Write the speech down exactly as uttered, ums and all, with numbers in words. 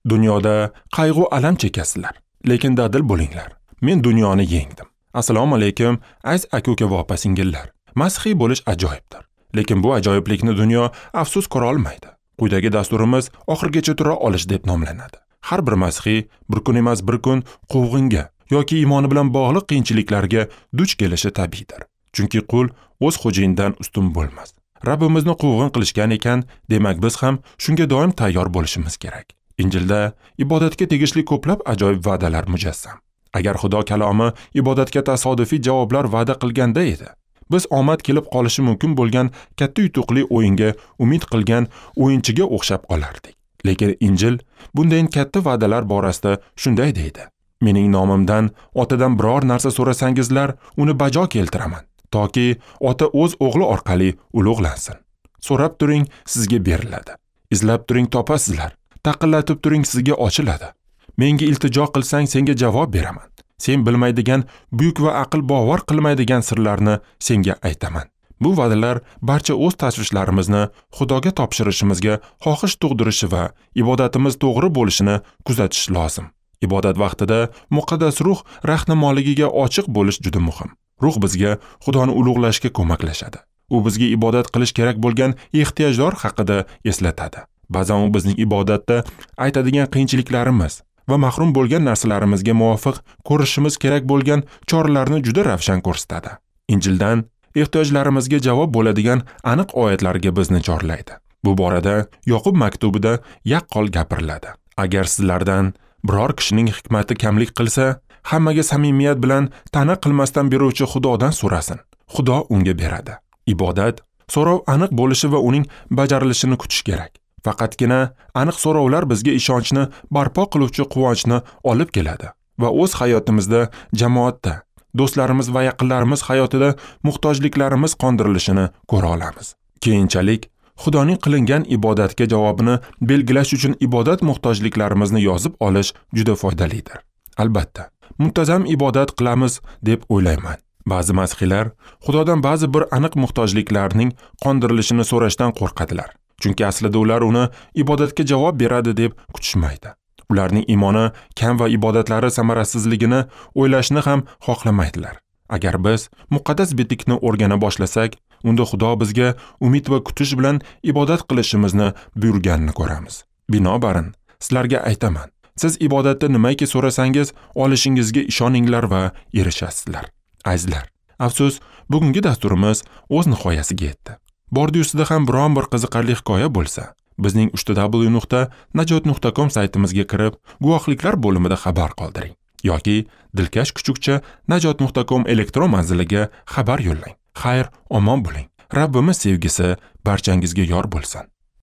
Dunyoda qayg'u alam chekasizlar, lekin dadil bo'linglar. Men dunyoni yengdim. Assalomu alaykum, aziz aka-uka va opa-singillar. Masihiy bo'lish ajoyibdir. Lekin bu ajoyiblikni dunyo afsus ko'ra olmaydi. Quyidagi dasturimiz oxirgacha tura olish deb nomlanadi. Har bir masihiy bir kun emas bir kun quvg'inga yoki iymoni bilan bog'liq qiyinchiliklarga duch kelishi tabiiydir. Chunki qul o'z xo'jayinidan ustun bo'lmas. Rabbimizni quvg'in qilishgan ekan, demak biz ham shunga doim tayyor bo'lishimiz kerak. Injilda ibodatga tegishli ko'plab ajoyib va'dalar mujassam. Agar Xudo kalomi ibodatga tasodifiy javoblar va'da qilganda edi, biz omad kelib qolishi mumkin bo'lgan katta yutuqli o'yinga umid qilgan o'yinchiga o'xshab qolardik. Lekin Injil bunday katta va'dalar borasida shunday deydi: Mening nomimdan Otadan biror narsa so'rasangizlar, uni bajo keltiraman, toki Ota o'z o'g'li orqali ulug'lansin. So'rab turing, sizga beriladi. Izlab turing, topasizlar. Taqillatib turing, sizga ochiladi. Menga iltijo qilsang, senga javob beraman. Sen bilmaydigan buyuk va aql bovar qilmaydigan sirlarni senga aytaman. Bu va'dalar barcha o'z tashvishlarimizni Xudoga topshirishimizga xohish tug'dirishi va ibodatimiz to'g'ri bo'lishini kuzatish lozim. Ibodat vaqtida muqaddas ruh rahnamoligiga ochiq bo'lish juda muhim. Ruh bizga Xudoni ulug'lashga ko'maklashadi. U bizga ibodat qilish kerak bo'lgan ehtiyojlar haqida eslatadi. Ba'zan u bizning ibodatda aytadigan qiyinchiliklarimiz va mahrum bo'lgan narsalarimizga muvofiq ko'rishimiz kerak bo'lgan choralarni juda ravshan ko'rsatadi. Injildan ehtiyojlarimizga javob bo'ladigan aniq oyatlarga bizni chorlaydi. Bu borada Yoqub maktubida yaqqol gapiriladi. Agar sizlardan biror kishining hikmati kamlik qilsa, hammaga samimiyat bilan ta'na qilmasdan beruvchi Xudodan so'rasin. Xudo unga beradi. Ibodat so'rov aniq bo'lishi va uning bajarilishini kutish kerak. Faqatgina aniq so'rovlar bizga ishonchni barpo qiluvchi quvonchni olib keladi va o'z hayotimizda, jamoatda, do'stlarimiz va yaqinlarimiz hayotida muhtojliklarimiz qondirilishini ko'ra olamiz. Keyinchalik Xudoning qilingan ibodatga javobini belgilash uchun ibodat muhtojliklarimizni yozib olish juda foydalidir. Albatta, muntazam ibodat qilamiz deb o'ylayman. Ba'zi masihiylar Xudodan ba'zi bir aniq muhtojliklarning qondirilishini so'rashdan qo'rqadilar. Chunki aslida ular uni ibodatga javob beradi deb kutishmaydi. Ularning iymoni kam va ibodatlari samarasizligini o'ylashni ham xohlamaydilar. Agar biz muqaddas bitikni o'rgana boshlasak, unda Xudo bizga umid va kutish bilan ibodat qilishimizni buyurganini ko'ramiz. Binobarin, sizlarga aytaman, siz ibodatda nimaki so'rasangiz, olishingizga ishoninglar va erishasizlar. Azizlar, afsus, bugungi dasturimiz o'z nihoyasiga yetdi. Bordi ustida ham biron bir qiziqarli hikoya bo'lsa, bizning uch w nuqta najot nuqta com saytimizga kirib, guvohliklar bo'limida xabar qoldiring yoki dilkash kuchukcha najot nuqta com elektron manziliga xabar yo'llang. Xayr, omon bo'ling. Rabbimiz sevgisi barchangizga yor bo'lsin.